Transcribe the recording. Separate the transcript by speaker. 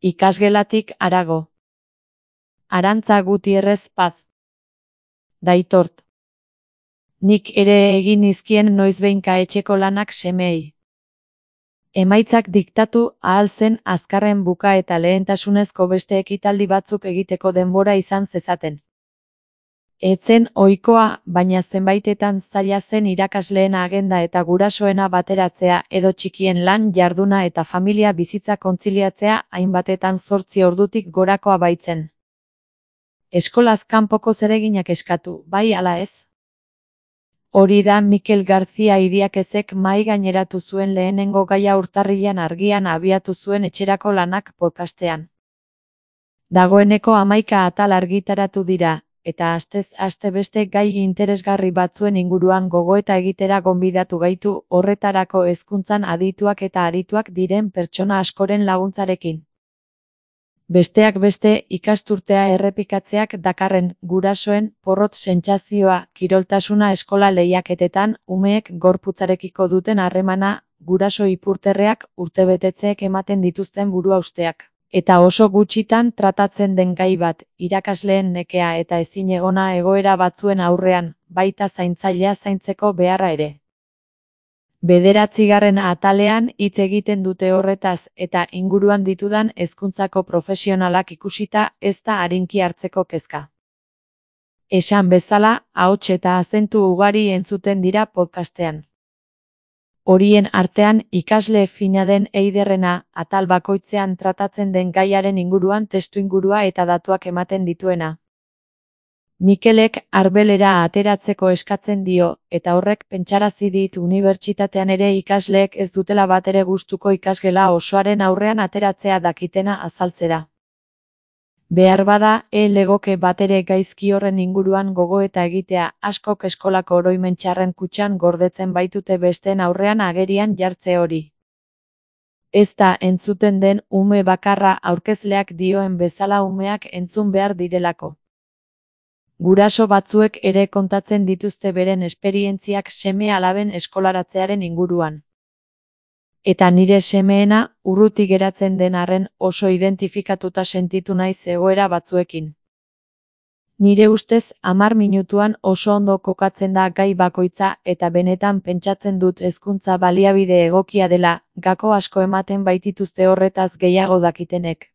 Speaker 1: Ikasgelatik harago. Arantza Gutierrez Paz. Daitort. Nik ere egin nizkien noizbehinka etxeko lanak semeei. Emaitzak diktatu ahal zen azkarren buka eta lehentasunezko beste ekitaldi batzuk egiteko denbora izan zezaten. Etzen ohikoa, baina zenbaitetan zaila zen irakasleen agenda eta gurasoena bateratzea edo txikien lan jarduna eta familia bizitza kontziliatzea hainbatetan 8 ordutik gorakoa baitzen. Eskolaz kanpoko zereginak eskatu, bai ala ez? Hori da Mikel García Idiakezek mahai gaineratu zuen lehenengo gaia urtarrilean Argian abiatu zuen etxerako lanak podcastean. Dagoeneko 11 atal argitaratu dira, eta astez aste beste gai interesgarri batzuen inguruan gogoeta egitera gonbidatu gaitu horretarako hezkuntzan adituak eta arituak diren pertsona askoren laguntzarekin. Besteak beste, ikasturtea errepikatzeak dakarren gurasoen porrot sentsazioa, kiroltasuna eskola lehiaketetan, umeek gorputzarekiko duten harremana, guraso ipurterreak, urtebetetzeek ematen dituzten buruhausteak. Eta oso gutxitan tratatzen den gai bat, irakasleen nekea eta ezinegona egoera batzuen aurrean, baita zaintzailea zaintzeko beharra ere. 9. atalean hitz egiten dute horretaz eta inguruan ditudan hezkuntzako profesionalak ikusita ez da arinki hartzeko kezka. Esan bezala, ahots eta azentu ugari entzuten dira podcastean. Horien artean ikasle fina den Eiderrena, atal bakoitzean tratatzen den gaiaren inguruan testuingurua eta datuak ematen dituena. Mikelek arbelera ateratzeko eskatzen dio, eta horrek pentsarazi dit unibertsitatean ere ikasleek ez dutela batere gustuko ikasgela osoaren aurrean ateratzea dakitena azaltzera. Behar bada, legoke batere gaizki horren inguruan gogoeta egitea, askok eskolako oroimen txarren kutxan gordetzen baitute besteen aurrean agerian jartze hori. Ez da entzuten den ume bakarra aurkezleak dioen bezala umeak entzun behar direlako. Guraso batzuek ere kontatzen dituzte beren esperientziak seme-alaben eskolaratzearen inguruan. Eta nire semeena, urruti geratzen den arren oso identifikatuta sentitu naiz egoera batzuekin. Nire ustez 10 minutuan oso ondo kokatzen da gai bakoitza eta benetan pentsatzen dut hezkuntza baliabide egokia dela, gako asko ematen baitituzte horretaz gehiago dakitenek.